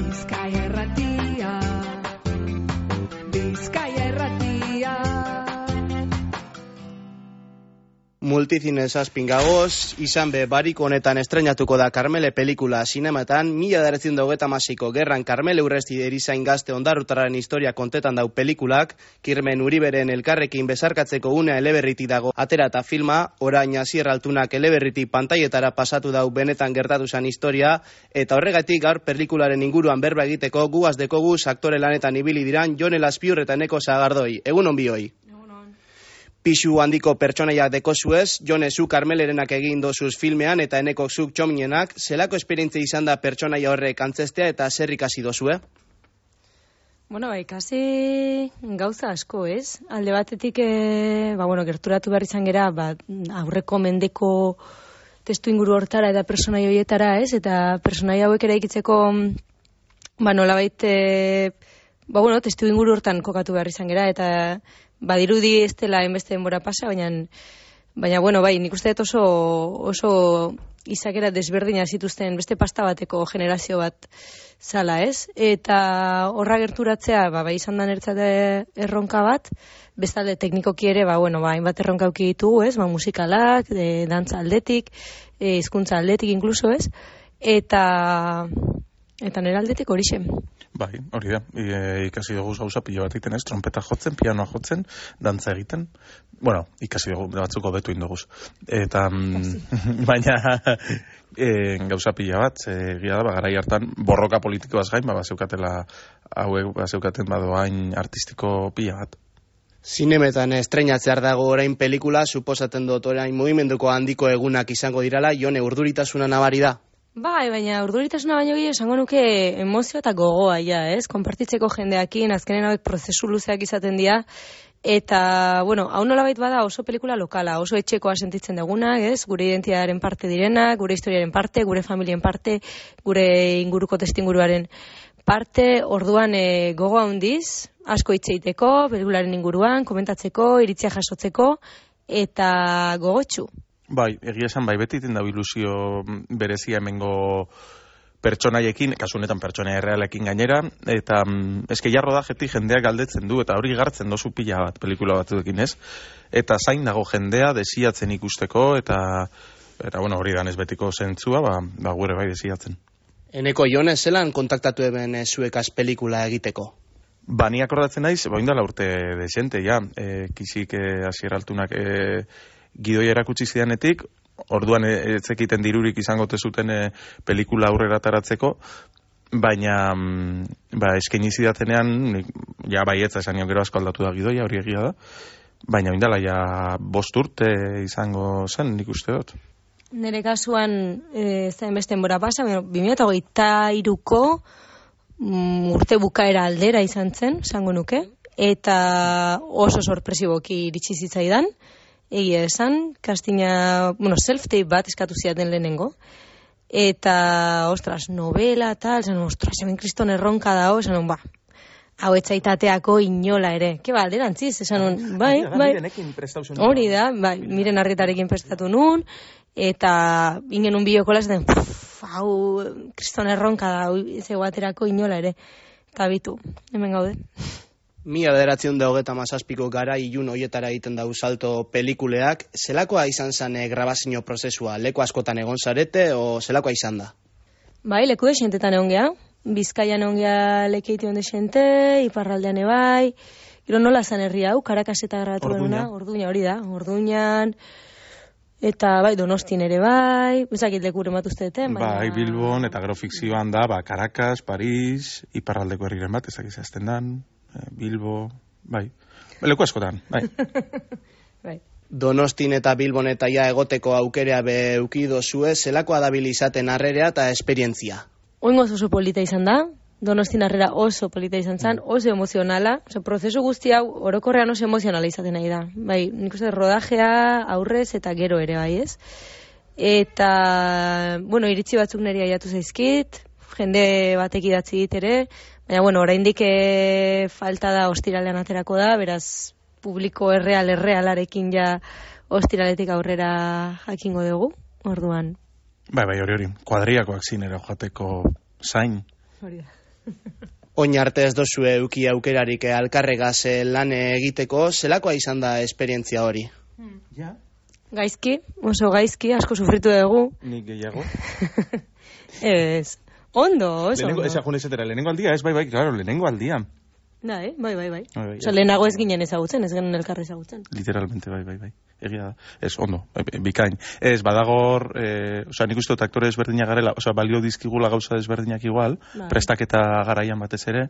Bizkaia Irratia, Bizkaia Irratia. Multicines azpingagoz, izan be barik honetan estreinatuko da Karmele pelikula sinematan, 1928ko gerran Karmele Urresti erizain gazte ondarrutararen historia kontetan dau pelikulak, Kirmen Uriberen elkarrekin bezarkatzeko unea eleberriti dago atera eta filma, orain Asier Altunak eleberriti pantailetara pasatu dau benetan gertatu zen historia, eta horregatik gaur pelikularen inguruan berba egiteko guaz dekoguz aktore lanetan ibili diran Jon Elazpiur eta Eneko Sagardoi. Egun onbioi. Pixu handiko pertsonaiak dekozuez, Jone zu Karmelerenak egin dozuz filmean eta Eneko zuk txominenak, zelako esperientzia izan da pertsonaia horrek antzestea eta zer ikasi dozue? Bueno, ikasi gauza asko, ez? Alde batetik, gerturatu behar izan gera, aurreko mendeko testu inguru hortara eta pertsonaia horietara, ez? Eta pertsonaia hauek eraikitzeko, nolabait, testu inguru hortan kokatu behar izan gera, eta badirudi ez dela enbeste denbora pasa, baina nik uste dut oso izakera desberdina zituzten beste pasta bateko generazio bat zala, ez? Eta horra gerturatzea, izan da nertzate erronka bat, bestalde teknikoki ere, hainbat erronka auki ditugu, ez? Musikalak, dantza aldetik, hizkuntza aldetik inkluso, ez? Eta nire aldetik horixe. Bai, hori da, ikasi dugu gauza pilo bat egiten, ez? Trompeta jotzen, pianoa jotzen, dantza egiten. Ikasi dugu batzuko betu indoguz. Eta, baina, gauza pila bat, egia da, garai hartan, borroka politikoaz gain, bazeukatela, hauek bazeukaten badoain artistiko pila bat. Zinemetan estreinatzear dago orain pelikula, suposaten dut orain mugimenduko handiko egunak izango dirala, Jone, urduritasuna nabari da? Baina urduritasuna baino gehiago esango nuke emozio eta gogoa, ez? Konpartitzeko jendeakin, azkenen hauek prozesu luzeak izaten dira, eta, hau nolabait bada oso pelikula lokala, oso etxekoa sentitzen duguna, ez? Gure identitatearen parte direna, gure historiaren parte, gure familien parte, gure inguruko testinguruaren parte, orduan gogoa handiz, asko hitz egiteko, pelikularen inguruan, komentatzeko, iritzia jasotzeko, eta gogotsu. Bai, egia esan, beti iten da ilusio berezia hemengo pertsonaiekin, kasu honetan pertsonaia errealekin gainera, eta eske jarro da jendeak galdetzen du, eta hori gartzen dozu pila bat pelikula batzuekin, ez? Eta zain dago jendea desiatzen ikusteko, eta hori da betiko zentzua, gure bai desiatzen. Eneko, Jone, zelan kontaktatu eben zuekaz pelikula egiteko? Ni akordatzen naiz, indala urte desente, ja, kisik Asier Altunak gidoi erakutsi zidanetik, orduan etzekiten dirurik izango zuten pelikula aurrera taratzeko, baina eskaini zidatenean, ja baietza esan gero asko aldatu da gidoia, hori egia da, baina indala ja 5 urte izango zen, nik uste dut. Nere kasuan, zain beste denbora pasa, 2023ko urte bukaera aldera izan zen, esango nuke, eta oso sorpresiboki iritsi zitzaidan, egia esan, kastina, self-tape bat eskatu ziaten lehenengo, eta, novela, tal, hemen kriston erronka dago, hau etzaitateako inola ere. Ke alderantziz, bai, hori da, Miren Arrietarekin prestatu nun, eta ingen un bideokola zaten, hau kriston erronka da, zego aterako inola ere. Eta bitu, hemen gaude. 1927ko gara ilun hoietara egiten dau salto pelikuleak, zelakoa izan zen grabazio prozesua? Leku askotan egon zarete, o zelakoa izan da? Bai, leku desentetan egon geha. Bizkaian egon geha lekeiti onde xente, iparraldean ebai. Gero nola zan herri hau, Karakaseta grabatu benuna. Orduña, hori da. Orduñan, eta Donostin ere bai. Bezakit leku rematu usteeten. Bai, Bilbon, eta gero fikzioan da, Karakas, Paris, iparraldeko herriren bat, ezak izazten dan. Bilbo, bai. Leku askotan, bai. Bai. Donostin eta Bilbon eta ja egoteko aukerea beukido zue, zelakoa dabil izaten harrerea eta esperientzia? Oingoz oso polita izan da, Donostin harrera oso polita izan zen, oso emozionala, prozesu guzti hau orokorrean oso emozionala izaten nahi da. Bai, nik uste rodajea aurrez eta gero ere bai, ez? Eta, iritzi batzuk niri aiatu zaizkit, jende batek idatzi dit ere, baina, oraindik falta da ostiralean aterako da, beraz, publiko errealarekin ja ostiraletik aurrera jakingo dugu, orduan. Bai, hori, kuadriakoak zinera joateko zain. Hori da. Oin arte ez dozu euki aukerarik alkarregaz lan egiteko, zelakoa izan da esperientzia hori? Ja? Gaizki, oso gaizki, asko sufritu dugu. Nik gehiago. Ez, ondo, oso Lehenengo, ondo. eza junezetera, lehenengo aldia, ez bai, claro, lehenengo aldia. Bai. Bai, Oso, lehenago ez ginen ezagutzen, ez genuen elkarri ezagutzen. Literalmente, bai. Egia da. Ez, ondo, bikain. Ez, badagor, nik uste dut aktore ezberdinak garela, balio dizkigula gauza ezberdinak igual, prestaketa garaian batez ere,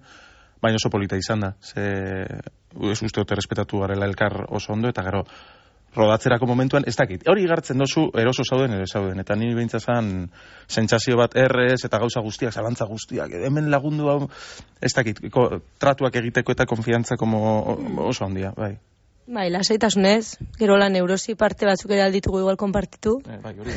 baina oso polita izan da. Ez uste dut errespetatu garela elkar oso ondo, eta gero, rodatzerako momentuan, ez dakit. Hori igartzen dozu, eroso zauden, eta niri behintzazan sentsazio bat errez, eta gauza guztiak, zalantza guztiak, hemen lagundu hau, ez dakit, tratuak egiteko eta konfiantza oso handia, bai. Bai, lasaitasunez, gero la neurosi parte batzuk ere alditugu igual konpartitu. Bai, hori.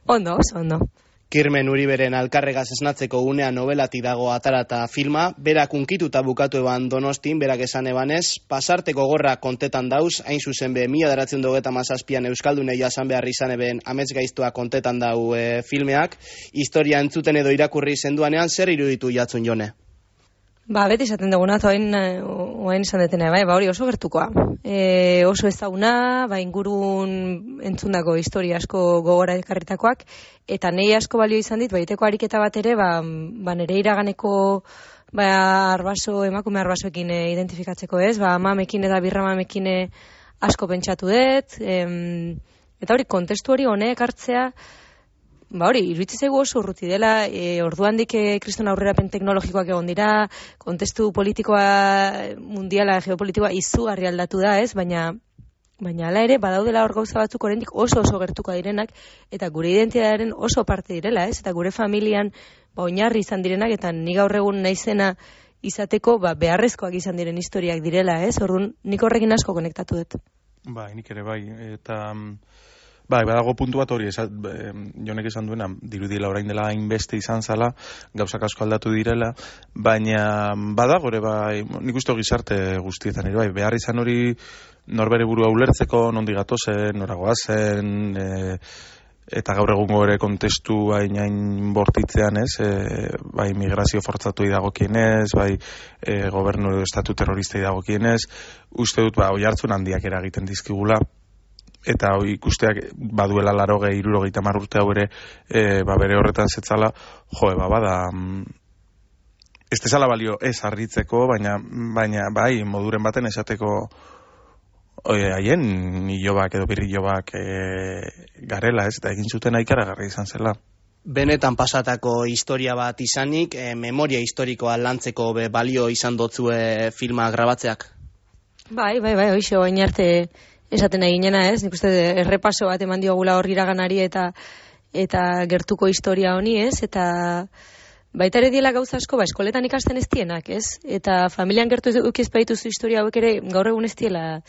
Ondo, oso ondo. Kirmen Uriberen alkarregaz esnatzeko unea nobelatik dago atarata filma, berak unkituta bukatu eban Donostin, berak esan ebanez, pasarteko gorra kontetan dauz, hain zuzen be, 1937an Euskaldunei jasan behar izan eben amets gaiztua kontetan dau filmeak, historia entzuten edo irakurri zenduanean, zer iruditu jatzun Jone? Beti esaten duguna, oain esan detena, hori oso gertukoa. Oso ezaguna, ingurun entzundako historia asko gogora ekarritakoak, eta nei asko balio izan dit, baiteko ariketa bat ere, nere iraganeko emakume arbasoekin identifikatzeko ez, mamekin eta birra mamekin asko pentsatu dut, eta hori kontestu hori honek hartzea, hori, iruditzen zaigu oso urruti dela, orduandik kriston aurrerapen teknologikoak egon dira, kontestu politikoa, mundiala, geopolitikoa izugarri aldatu da, ez? Baina hala ere, badaudela hor gauza batzuk oraindik oso gertuko direnak, eta gure identitatearen oso parte direla, ez? Eta gure familian oinarri izan direnak, eta ni gaur egun naizena izateko beharrezkoak izan diren historiak direla, ez? Orduan, nik horrekin asko konektatu dut. Bai, nik ere bai, eta... Bai, badago puntu bat hori, Jonek esan duena, dirudila orain dela hainbeste izan zala, gauzak asko aldatu direla, baina badago ere, nik uste gizarte guztietan ere, behar izan hori norbere burua ulertzeko, nondi gatozen, noragoa zen, eta gaur egungo ere kontestu hain bortitzean, ez, migrazio fortzatu dagokienez, gobernu edo estatu terrorista dagokienez, uste dut, oihartzun handiak eragiten dizkigula, eta ikusteak baduela 60-70 urte hau ere bere horretan zetzala, bada ez tezala balio ez harritzeko, baina bai, moduren baten esateko haien nilobak edo birrilobak garela, ez, eta egin zuten ikaragarri izan zela. Benetan pasatako historia bat izanik, memoria historikoa lantzeko balio izan dotzue filma grabatzeak? Bai, hoixo, oin arte esaten eginena, ez? Nik uste errepaso bat eman diogula hor iraganari eta gertuko historia honi, ez? Eta baita ere diela gauza asko, eskoletan ikasten ez dienak, ez? Eta familian gertu ukiez baituzu historia hauek ere gaur egun ez diela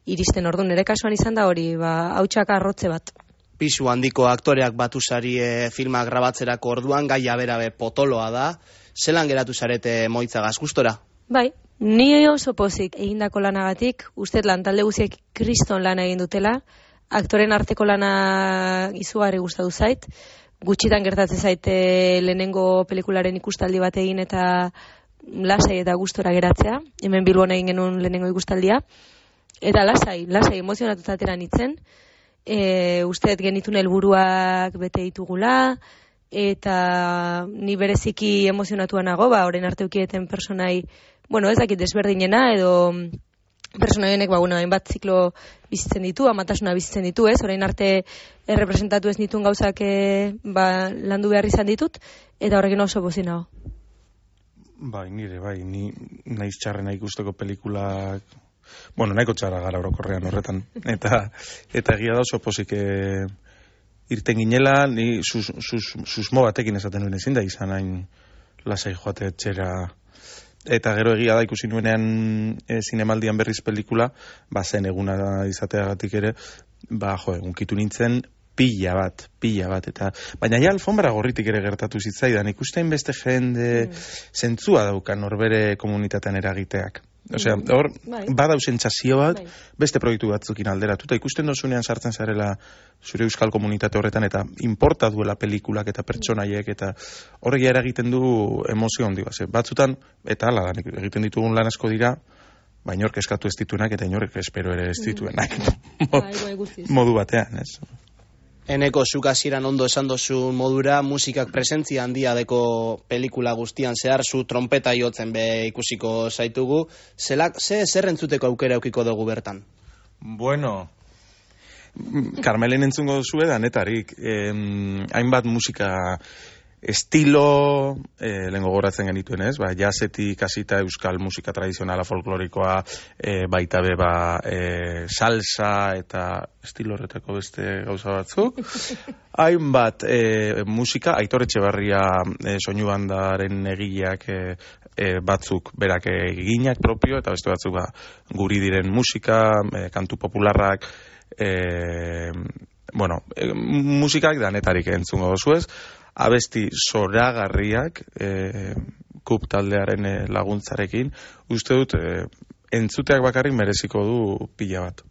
iristen, orduan, nire kasuan izan da hori, hautsak arrotze bat. Pisu handiko aktoreak batu zari filma grabatzerako orduan, gaia berabe potoloa da, zelan geratu zarete moitzagaz gustora? Bai, ni oso pozik egindako lanagatik, uste lantalde guziek kriston lana egin dutela, aktoren arteko lana izugarri gustatu zait, gutxitan gertatzen zaite lehenengo pelikularen ikustaldi bat egin eta lasai eta gustora geratzea, hemen Bilbon egin genuen lehenengo ikustaldia, eta lasai emozionatuta atera nintzen, uste genitun helburuak bete ditugula, eta ni bereziki emozionatua nago, orain arte ukieten personai, ez dakit desberdinena, edo personai honek, hainbat ziklo bizitzen ditu, amatasuna bizitzen ditu, ez? Orain arte errepresentatu ez nituen gauzak landu behar izan ditut, eta horrekin oso pozik nago. Bai, ni naiz txarrena ikusteko pelikulak, nahiko txarra gara orokorrean horretan, eta egia da oso pozik irten ginela, ni susmo batekin esaten nuen ezin da izan hain lasai joate etxera, eta gero egia da ikusi nuenean zinemaldian berriz pelikula, zen eguna izateagatik ere, unkitu nintzen pila bat, eta baina ja alfombra gorritik ere gertatu zitzaidan, ikusten beste jende zentzua daukan norbere komunitatean eragiteak. Osea, hor, Bai. badau sentsazio bat, Bai. beste proiektu batzukin alderatuta. Ikusten dozunean sartzen zarela zure euskal komunitate horretan, eta importa duela pelikulak eta pertsonaiek, eta horregia eragiten du emozio handi bat. Batzutan, eta hala, egiten ditugun lan asko dira, ba, inork eskatu ez dituenak, eta inork espero ere ez dituenak. Bai, guztiz. Modu batean, ez? Eneko zuk hasieran ondo esan dozu modura, musikak presentzia handia deko pelikula guztian zehar, zu trompeta jotzen be ikusiko zaitugu. Zer entzuteko aukera aukiko dugu bertan? Bueno, Karmelen entzungo duzu danetarik. Hainbat musika estilo, lehen gogoratzen genituen ez, ba, jazzetik hasita euskal musika tradizionala folklorikoa, baita be, ba, salsa eta estilo horretako beste gauza batzuk. Hainbat musika, Aitor Etxebarria soinu bandaren egileak batzuk berak eginak propio, eta beste batzuk ba, guri diren musika, kantu popularrak, musikak danetarik entzungo duzu ez, abesti zoragarriak kup taldearen laguntzarekin, uste dut entzuteak bakarrik mereziko du pila bat.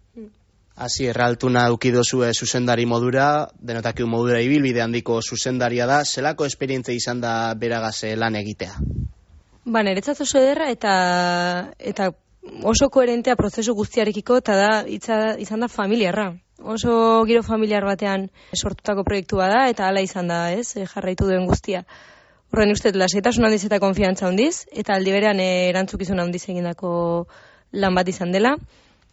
Hasi erraltuna eukidozue zuzendari modura, denotakiu modura ibilbide handiko zuzendaria da, zelako esperientzia izan da beragaze lan egitea? Ba, niretzat oso ederra eta oso koherentea prozesu guztiarekiko, eta da izan da familiarra. Oso giro familiar batean sortutako proiektu bada, eta hala izan da, ez, jarraitu duen guztia. Horren uste, lasaitasun handiz eta konfiantza handiz, eta aldi berean erantzukizun handiz egindako lan bat izan dela.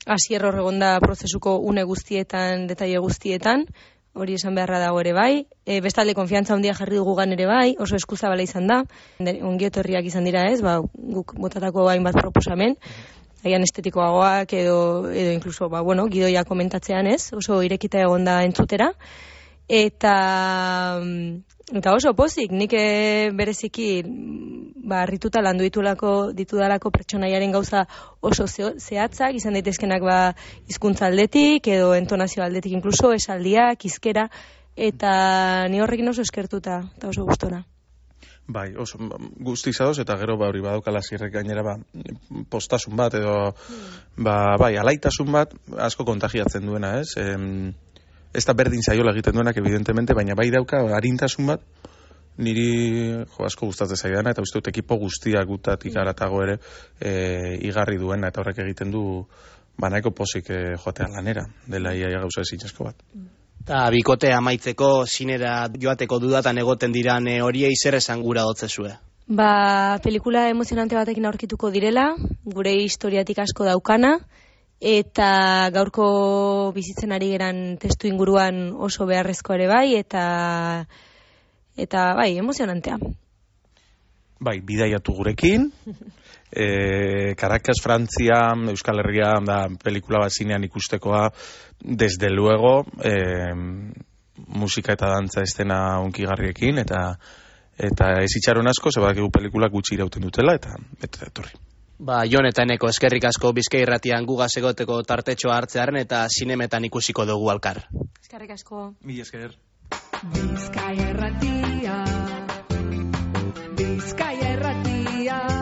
Hasier hor egonda prozesuko une guztietan, detaile guztietan, hori esan beharra dago ere bai. Bestalde konfiantza handia jarri dugugan ere bai, oso eskuzabala izan da. Ongietorriak izan dira, ez, ba, guk botatako hainbat proposamen. Agian estetikoagoak edo inkluso, ba, bueno, gidoia komentatzean ez, oso irekita egonda entzutera. Eta oso pozik, nik bereziki ba, harrituta landu ditudalako pertsonaiaren gauza oso zehatzak, izan daitezkenak ba, hizkuntza aldetik edo entonazio aldetik inkluso, esaldiak, hizkera, eta ni horrekin oso eskertuta eta oso gustora. Bai, oso guzti izadoz, eta gero ba, hori badaukala zirrek gainera ba, postasun bat, edo bai, alaitasun bat asko kontagiatzen duena, ez? Ez da berdin zaiola egiten duenak, evidentemente, baina bai dauka arintasun bat, niri asko gustatzen zaidana, eta uste dut ekipo guztiak gutatik aratago ere igarri duena, eta horrek egiten du banaiko pozik joatea lanera, dela iaia gauza ezin asko bat. Eta bikotea amaitzeko, sinera joateko dudatan egoten diran horiei zer esan gura dotzezue? Ba, pelikula emozionante batekin aurkituko direla, gure historiatik asko daukana, eta gaurko bizitzen ari geran testu inguruan oso beharrezko ere bai, eta bai, emozionantea. Bai, bidaiatu gurekin, Caracas, Frantzia, Euskal Herria, da pelikula bat zinean ikustekoa, desde luego, musika eta dantza estena unkigarriekin, eta ez itxaron asko, zebadakigu pelikulak gutxi irauten dutela, eta etorri. Ba, Jon eta Eneko eskerrik asko Bizkai Irratian gugaz egoteko tartetxoa hartzearen eta zinemetan ikusiko dugu alkar. Eskerrik asko. Mila esker. Bizkai Irratia, Bizkai Irratia.